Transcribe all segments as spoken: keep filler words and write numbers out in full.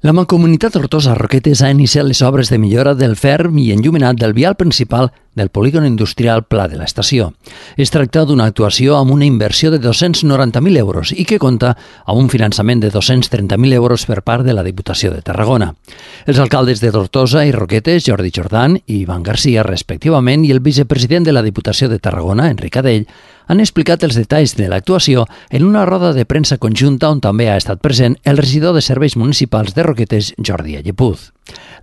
La Mancomunitat Tortosa Roquetes ha iniciat les obres de millora del ferm i enllumenat del vial principal del polígon industrial Pla de l'Estació. Es tracta d'una actuació amb una inversió de dos-cents noranta mil euros i que compta amb un finançament de dos-cents trenta mil euros per part de la Diputació de Tarragona. Els alcaldes de Tortosa i Roquetes, Jordi Jordan i Ivan Garcia, respectivament, i el vicepresident de la Diputació de Tarragona, Enric Adell, han explicat els detalls de l'actuació en una roda de premsa conjunta on també ha estat present el regidor de Serveis Municipals de Roquetes, Jordi Allepuz.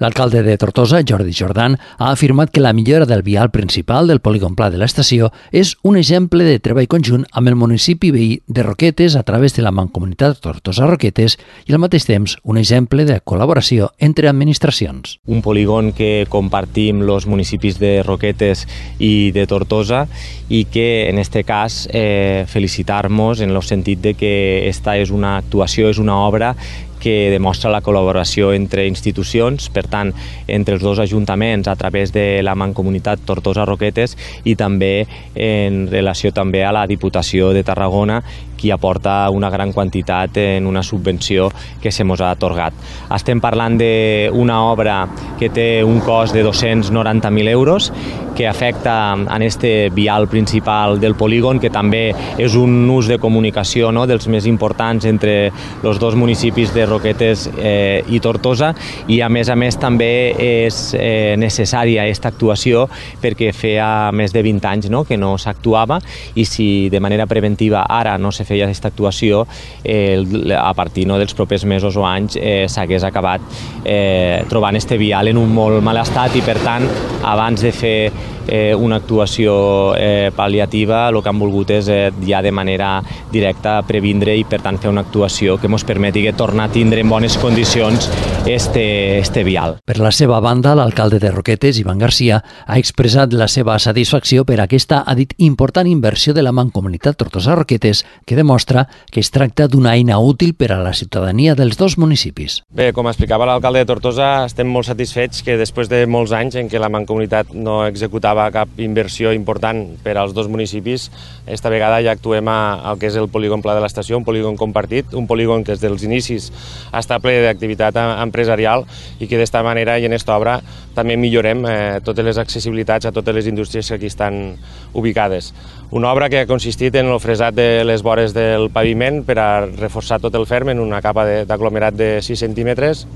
L'alcalde de Tortosa, Jordi Jordan, ha afirmat que la millora del vial principal del polígon Pla de l'Estació és un exemple de treball conjunt amb el municipi veí de Roquetes a través de la Mancomunitat Tortosa Roquetes i al mateix temps un exemple de col·laboració entre administracions. Un polígon que compartim els municipis de Roquetes i de Tortosa i que en este cas eh, felicitar-nos en el sentit de que esta és una actuació, és una obra que demostra la col·laboració entre institucions, per tant, entre els dos ajuntaments a través de la Mancomunitat Tortosa-Roquetes i també en relació també a la Diputació de Tarragona, qui aporta una gran quantitat en una subvenció que se mos ha atorgat. Estem parlant d'una obra que té un cost de dos-cents noranta mil euros, que afecta en este vial principal del polígon, que també és un ús de comunicació, no?, dels més importants entre els dos municipis de Roquetes eh, i Tortosa, i a més a més també és eh, necessària aquesta actuació perquè feia més de vint anys, no?, que no s'actuava, i si de manera preventiva ara no se feia aquesta actuació, eh, a partir no, dels propers mesos o anys eh, s'hagués acabat eh, trobant este vial en un molt mal estat, i per tant abans de fer eh, una actuació eh, pal·liativa el que han volgut és eh, ja de manera directa previndre i per tant fer una actuació que ens permeti tornar a tindre en bones condicions este, este vial. Per la seva banda, l'alcalde de Roquetes, Ivan Garcia, ha expressat la seva satisfacció per aquesta, ha dit, important inversió de la Mancomunitat Tortosa Roquetes, que demostra que es tracta d'una eina útil per a la ciutadania dels dos municipis. Bé, com explicava l'alcalde de Tortosa, estem molt satisfets que després de molts anys en què la Mancomunitat no executava cap inversió important per als dos municipis, esta vegada ja actuem al que és el polígon Pla de l'Estació, un polígon compartit, un polígon que des dels inicis està ple d'activitat empresarial i que d'esta manera i en aquesta obra també millorem eh, totes les accessibilitats a totes les indústries que aquí estan ubicades. Una obra que ha consistit en el fresat de les vores del paviment per a reforçar tot el ferm en una capa d'aglomerat de sis centímetres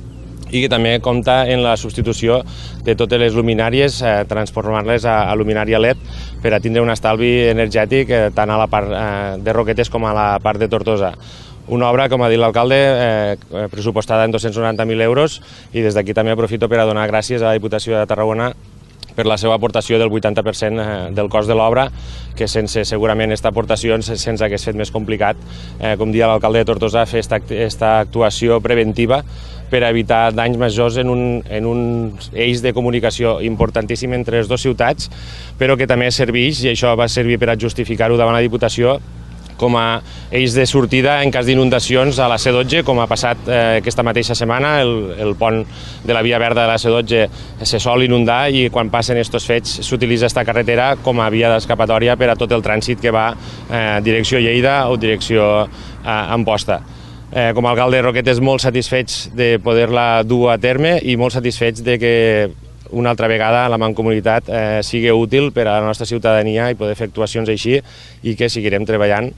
i que també compta en la substitució de totes les luminàries, eh, transformar-les a, a luminària L E D per a tindre un estalvi energètic eh, tant a la part eh, de Roquetes com a la part de Tortosa. Una obra, com ha dit l'alcalde, eh, pressupostada en dos-cents noranta mil euros, i des d'aquí també aprofito per a donar gràcies a la Diputació de Tarragona per la seva aportació del vuitanta per cent del cost de l'obra, que sense segurament aquesta aportació se'ns hagués fet més complicat, eh, com dia l'alcalde de Tortosa, fer aquesta actuació preventiva per a evitar danys majors en un, en un eix de comunicació importantíssim entre les dues ciutats, però que també serveix, i això va servir per a justificar-ho davant la Diputació, com a eix de sortida en cas d'inundacions a la C dotze, com ha passat eh, aquesta mateixa setmana. El, el pont de la Via Verda de la C dotze se sol inundar i quan passen aquests fets s'utilitza aquesta carretera com a via d'escapatòria per a tot el trànsit que va eh, direcció Lleida o direcció eh, Amposta. Eh, com a alcalde de Roquetes molt satisfets de poder-la dur a terme i molt satisfets de que una altra vegada la Mancomunitat eh, sigui útil per a la nostra ciutadania i poder fer actuacions així, i que seguirem treballant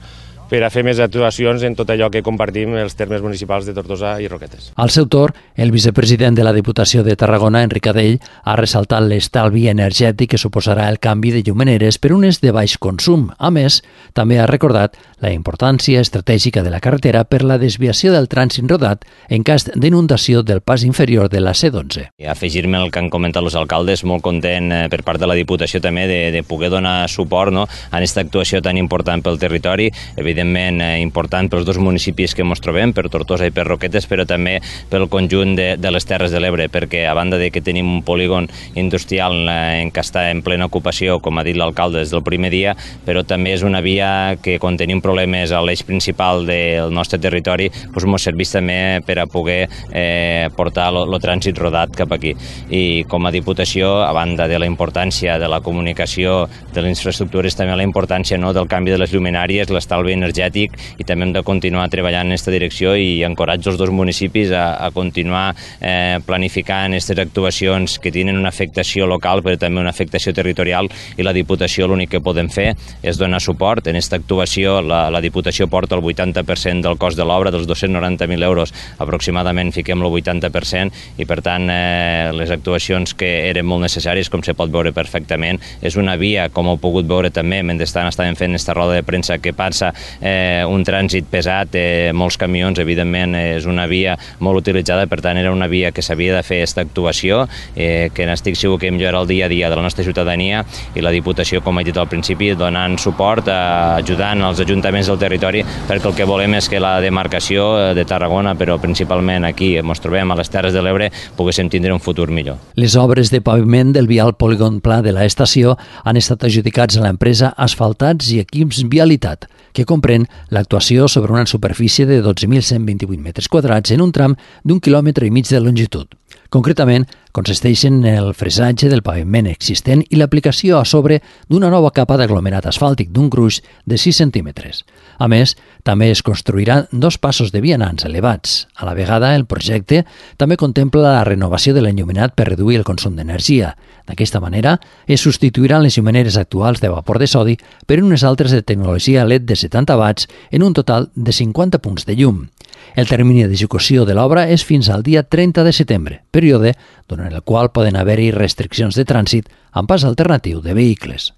per a fer més actuacions en tot allò que compartim els termes municipals de Tortosa i Roquetes. Al seu torn, el vicepresident de la Diputació de Tarragona, Enric Adell, ha ressaltat l'estalvi energètic que suposarà el canvi de llumeneres per unes de baix consum. A més, també ha recordat la importància estratègica de la carretera per la desviació del trànsit rodat en cas d'inundació del pas inferior de la C dotze. Afegir-me al que han comentat els alcaldes, molt content eh, per part de la Diputació també de, de poder donar suport, no?, a aquesta actuació tan important pel territori, evidentment eh, important pels dos municipis que ens trobem, per Tortosa i per Roquetes, però també pel conjunt de, de les Terres de l'Ebre, perquè a banda de que tenim un polígon industrial eh, en què està en plena ocupació, com ha dit l'alcalde des del primer dia, però també és una via que quan tenim problemes a l'eix principal del nostre territori doncs ens serveix també per a poder eh, portar el trànsit rodat cap aquí. I com a Diputació, a banda de la importància de la comunicació, de les infraestructures, també la importància, no?, del canvi de les lluminàries, l'estalvi energètic energètic i també hem de continuar treballant en aquesta direcció i encoratjo els dos municipis a, a continuar eh, planificant aquestes actuacions que tenen una afectació local però també una afectació territorial i la Diputació l'únic que podem fer és donar suport. En aquesta actuació la, la Diputació porta el vuitanta per cent del cost de l'obra, dels dos-cents noranta mil euros aproximadament fiquem el vuitanta per cent i per tant eh, les actuacions que eren molt necessàries, com se pot veure perfectament, és una via, com heu pogut veure també, mentre estàvem fent aquesta roda de premsa, que passa eh, un trànsit pesat, eh, molts camions, evidentment és una via molt utilitzada, per tant era una via que s'havia de fer aquesta actuació, eh, que n'estic segur que millora el dia a dia de la nostra ciutadania i la Diputació, com he dit al principi, donant suport, eh, ajudant els ajuntaments del territori, perquè el que volem és que la demarcació de Tarragona, però principalment aquí, ens trobem a les Terres de l'Ebre, poguéssim tindre un futur millor. Les obres de paviment del vial Polígon Pla de l'estació han estat adjudicats a l'empresa Asfaltats i Equips Vialitat, que comprèn l'actuació sobre una superfície de dotze mil cent vint-i-vuit metres quadrats en un tram d'un quilòmetre i mig de longitud. Concretament, consisteixen en el fresatge del paviment existent i l'aplicació a sobre d'una nova capa d'aglomerat asfàltic d'un gruix de sis centímetres. A més, també es construiran dos passos de vianants elevats. A la vegada, el projecte també contempla la renovació de l'enllumenat per reduir el consum d'energia. D'aquesta manera, es substituiran les llumeneres actuals de vapor de sodi per unes altres de tecnologia L E D de setanta watts en un total de cinquanta punts de llum. El termini d'execució de l'obra és fins al dia trenta de setembre, període durant el qual poden haver-hi restriccions de trànsit amb pas alternatiu de vehicles.